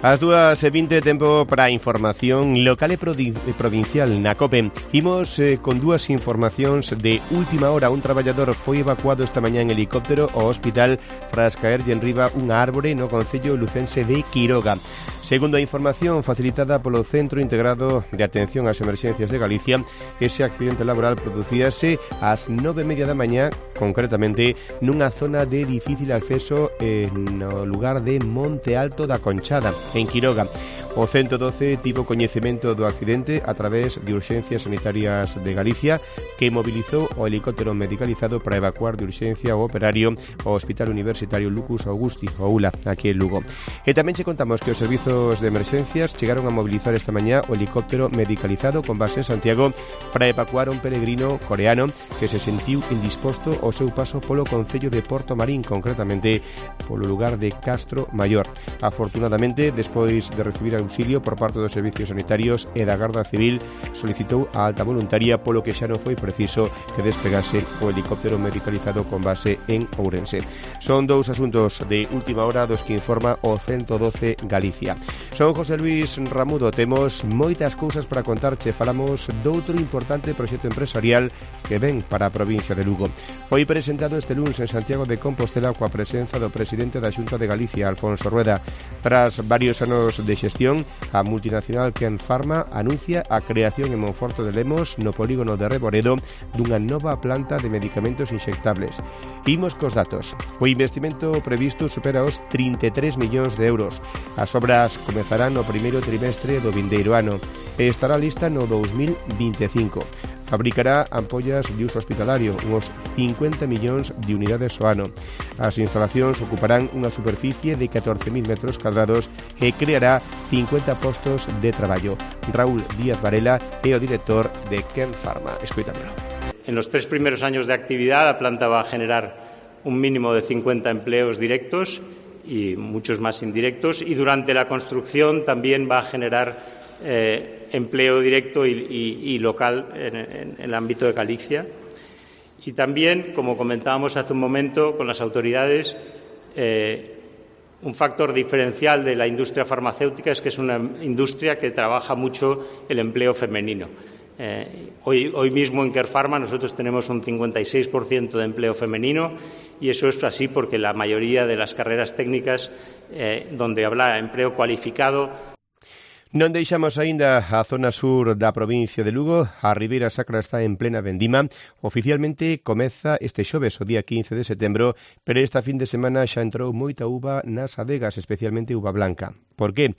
As 2:20, tempo para a información local e provincial na COPE. Imos con dúas informacións de última hora. Un traballador foi evacuado esta mañá en helicóptero ao hospital tras caerlle enriba unha árbore no concello lucense de Quiroga. Segundo a información facilitada polo Centro Integrado de Atención ás Emerxencias de Galicia, ese accidente laboral producíase ás 9:30 da mañá, concretamente nunha zona de difícil acceso no lugar de Monte Alto da Conchada, en Quiroga. O 112 tivo coñecemento do accidente a través de Urxencias Sanitarias de Galicia, que mobilizou o helicóptero medicalizado para evacuar de urxencia o operario ao Hospital Universitario Lucus Augusti, o ULA, aquí en Lugo. E tamén che contamos que os servizos de emerxencias chegaron a mobilizar esta mañá o helicóptero medicalizado con base en Santiago para evacuar un peregrino coreano que se sentiu indisposto ao seu paso polo concello de Porto Marín, concretamente polo lugar de Castro Maior. Afortunadamente, despois de recibir auxilio por parte dos servicios sanitarios e da Garda Civil, solicitou a alta voluntaria, polo que xa non foi preciso que despegase o helicóptero medicalizado con base en Ourense. Son dous asuntos de última hora dos que informa o 112 Galicia. Son José Luis Ramudo, temos moitas cousas para contarche. Falamos doutro importante proxecto empresarial que ven para a provincia de Lugo. Foi presentado este lunes en Santiago de Compostela coa presenza do presidente da Xunta de Galicia, Alfonso Rueda. Tras varios anos de xestión, a multinacional Kern Pharma anuncia a creación en Monforte de Lemos, no polígono de Reboredo, dunha nova planta de medicamentos inxectables. Imos cos datos. O investimento previsto supera os 33 millóns de euros. As obras comezarán no primeiro trimestre do vindeiro ano e estará lista no 2025. Fabricará ampollas de uso hospitalario, uns 50 millóns de unidades ao ano. As instalacións ocuparán unha superficie de 14.000 metros cuadrados e creará 50 postos de traballo. Raúl Díaz Varela é o director de Kern Pharma. Escoitámoslo. En los 3 primeros años de actividad, la planta va a generar un mínimo de 50 empleos directos y muchos más indirectos, y durante la construcción también va a generar empleo directo y local en el ámbito de Galicia. Y también, como comentábamos hace un momento con las autoridades, un factor diferencial de la industria farmacéutica es que es una industria que trabaja mucho el empleo femenino. Hoy mismo en Kern Pharma nosotros tenemos un 56% de empleo femenino, y eso es así porque la mayoría de las carreras técnicas donde habrá empleo cualificado. Non deixamos aínda a zona sur da provincia de Lugo. A Ribeira Sacra está en plena vendima. Oficialmente comeza este xoves, o día 15 de setembro, pero esta fin de semana xa entrou moita uva nas adegas, especialmente uva blanca. Por qué?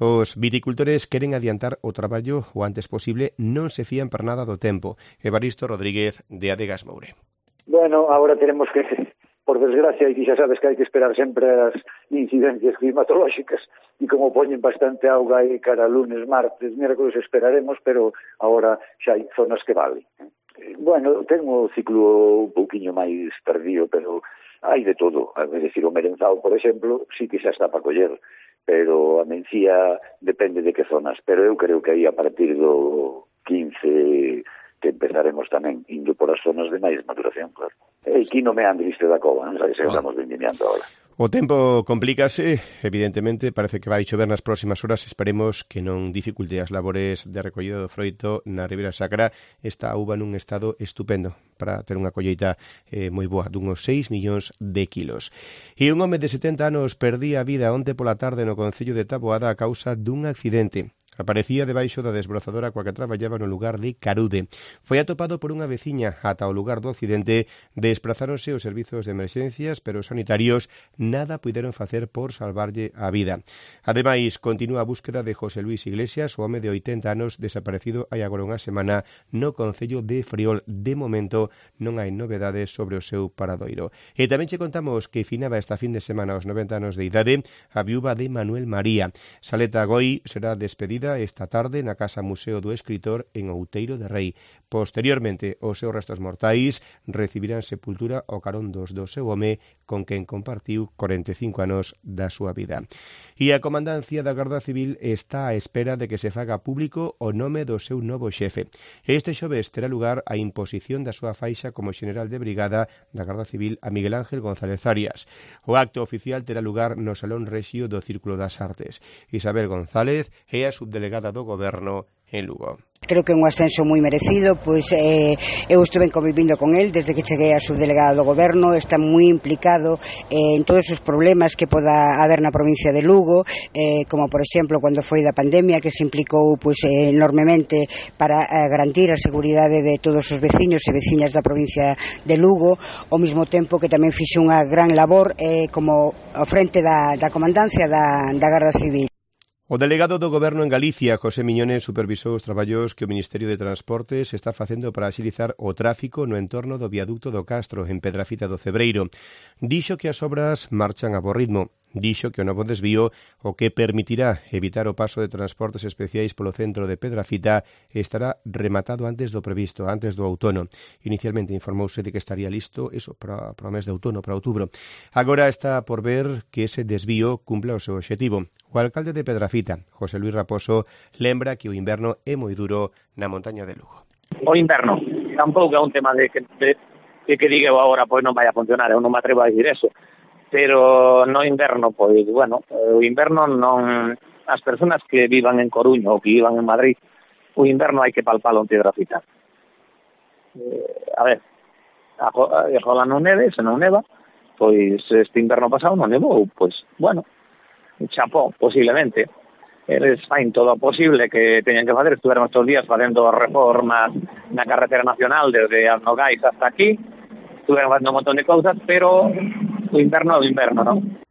Os viticultores queren adiantar o traballo o antes posible, non se fían para nada do tempo. Evaristo Rodríguez, de Adegas Moure. Bueno, ahora tenemos que, por desgracia, y xa sabes que hai que esperar sempre as incidencias climatolóxicas, e como poñen bastante auga aí cara lunes, martes, miércoles esperaremos, pero ahora xa hai zonas que vale. Bueno, ten o ciclo un pouquiño máis tardío, pero hai de todo. É dicir, o merenzao, por exemplo, sí que xa está para coller, pero a mencía depende de que zonas, pero eu creo que aí a partir do 15 que empezaremos tamén indo por as zonas de máis maduración, claro. E aquí non me andriste da cova, non sabes se estamos vendimiando ahora. O tempo complícase, evidentemente, parece que vai chover nas próximas horas, esperemos que non dificulte as labores de recollido do froito na Ribeira Sacra. Esta uva nun estado estupendo para ter unha colleita moi boa, dunhos 6 millóns de kilos. E un home de 70 anos perdía a vida onte pola tarde no concello de Taboada a causa dun accidente. Aparecía debaixo da desbrozadora coa que traballaba no lugar de Carude. Foi atopado por unha veciña ata o lugar do accidente. Desprazáronse os servizos de emerxencias, pero os sanitarios nada puideron facer por salvarlle a vida. Ademais, continúa a búsqueda de José Luis Iglesias, o home de 80 anos desaparecido hai agora unha semana no concello de Friol. De momento non hai novedades sobre o seu paradoiro. E tamén che contamos que finaba esta fin de semana aos 90 anos de idade a viúva de Manuel María. Saleta Goi será despedida recibida esta tarde na Casa Museo do Escritor en Outeiro de Rei. Posteriormente, os seus restos mortais recibirán sepultura ao carón do seu home, con quen compartiu 45 anos da súa vida. E a Comandancia da Garda Civil está á espera de que se faga público o nome do seu novo xefe. Este xoves terá lugar a imposición da súa faixa como xeneral de brigada da Garda Civil a Miguel Ángel González Arias. O acto oficial terá lugar no Salón Rexio do Círculo das Artes. Isabel González é a subdelegada do Goberno en Lugo. Creo que é un ascenso moi merecido, pois eu estuve convivindo con el desde que cheguei a subdelegada do Goberno, está moi implicado en todos os problemas que poda haber na provincia de Lugo, como por exemplo cando foi da pandemia, que se implicou pois enormemente para garantir a seguridade de todos os veciños e veciñas da provincia de Lugo, ao mesmo tempo que tamén fixe unha gran labor como ao frente da comandancia da Garda Civil. O delegado do Goberno en Galicia, José Miñones, supervisou os traballos que o Ministerio de Transportes está facendo para axilizar o tráfico no entorno do viaducto do Castro, en Pedrafita do Cebreiro. Dixo que as obras marchan a bo ritmo. Dixo que o novo desvío, o que permitirá evitar o paso de transportes especiais polo centro de Pedrafita, estará rematado antes do previsto, antes do outono. Inicialmente informouse de que estaría listo para o mes de outono, para outubro. Agora está por ver que ese desvío cumpla o seu objetivo. O alcalde de Pedrafita, José Luis Raposo, lembra que o inverno é moi duro na montaña de Lugo. O inverno tampouco é un tema de que diga agora pois non vai a funcionar, eu non me atrevo a dicir eso. Pero no inverno, pois, bueno, o inverno non... As persoas que vivan en Coruña ou que vivan en Madrid, o inverno hai que palpalo en Pedrafita. A ver, rola non neve, se non neva, pois este inverno pasado non nevou, pois, bueno, chapó, posiblemente. Eles fain todo o posible que teñan que facer, estuveron estos días facendo reformas na carretera nacional desde Nogais hasta aquí, estuveron facendo un montón de cousas, pero o inverno é o inverno, non?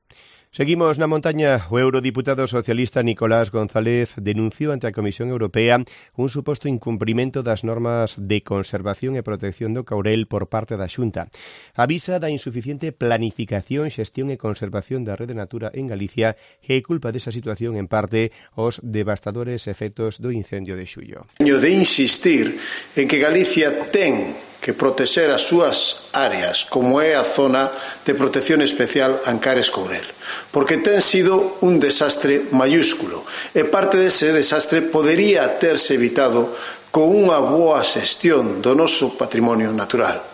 Seguimos na montaña. O eurodiputado socialista Nicolás González denunciou ante a Comisión Europea un suposto incumprimento das normas de conservación e protección do caurel por parte da Xunta. Avisa da insuficiente planificación, xestión e conservación da Rede Natura en Galicia e culpa desa situación en parte os devastadores efectos do incendio de xullo. De insistir en que Galicia ten que protexer as súas áreas, como é a zona de protección especial Ancares-Courel, porque ten sido un desastre mayúsculo, e parte dese desastre podería terse evitado con unha boa xestión do noso patrimonio natural.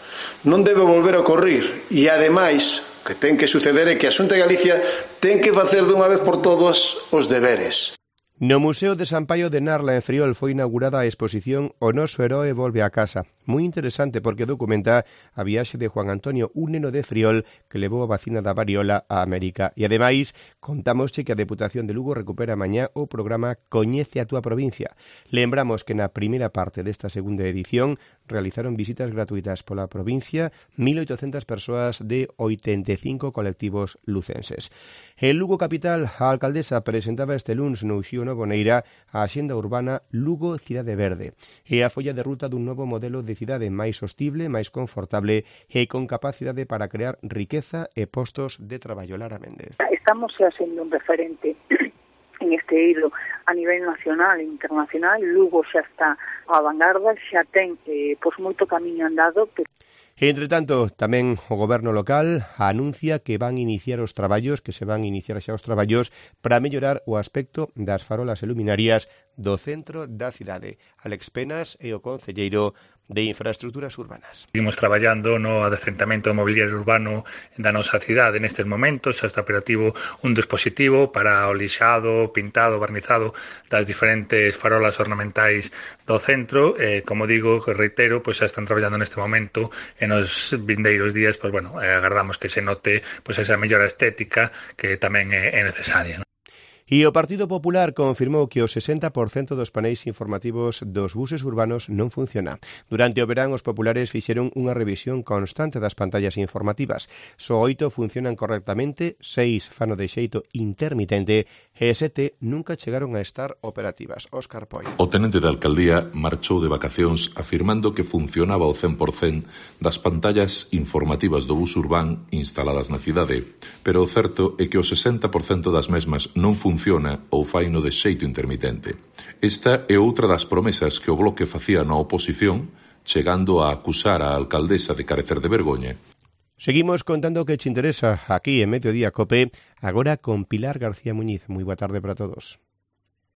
Non debe volver a ocorrer, e ademais, o que ten que suceder é que a Xunta de Galicia ten que facer dunha vez por todas os deberes. No Museo de San Paio de Narla, en Friol, foi inaugurada a exposición O noso heroe volve a casa. Moi interesante porque documenta a viaxe de Juan Antonio, un neno de Friol que levou a vacina da variola a América. E ademais, contámosche que a Deputación de Lugo recupera mañá o programa Coñece a túa provincia. Lembramos que na primeira parte desta segunda edición realizaron visitas gratuitas pola provincia 1.800 persoas de 85 colectivos lucenses. En Lugo capital, a alcaldesa presentaba este luns no Uxío Novoneira a Axenda Urbana Lugo Cidade Verde e a folla de ruta dun novo modelo de cidade máis sostible, máis confortable e con capacidade para crear riqueza e postos de traballo. Lara Méndez. Estamos xa sendo un referente en este eido a nivel nacional e internacional. Lugo xa está á vanguarda, xa ten moito camiño andado. Entre tanto, tamén o goberno local anuncia que van iniciar os traballos, para mellorar o aspecto das farolas e luminarias do centro da cidade. Alex Penas é o concelleiro de Infraestructuras Urbanas. Seguimos traballando no adecentamento mobiliario urbano da nosa cidade. Nestes momentos xa está operativo un dispositivo para o lixado, pintado, barnizado das diferentes farolas ornamentais do centro. Como digo, reitero, pois xa están traballando neste momento e nos vindeiros días, pois bueno, agardamos que se note pois esa mellora estética que tamén é necesaria, non? E o Partido Popular confirmou que o 60% dos paneis informativos dos buses urbanos non funciona. Durante o verán, os populares fixeron unha revisión constante das pantallas informativas. Só 8 funcionan correctamente, 6 fano de xeito intermitente e 7 nunca chegaron a estar operativas. Óscar Poi. O tenente de alcaldía marchou de vacacións afirmando que funcionaba o 100% das pantallas informativas do bus urbán instaladas na cidade, pero o certo é que o 60% das mesmas non funcionan funciona ou faino de xeito intermitente. Esta é outra das promesas que o Bloque facía na oposición, chegando a acusar a alcaldesa de carecer de vergoña. Seguimos contando que te interesa aquí en Mediodía Cope, agora con Pilar García Muñiz. Moi boa tarde para todos.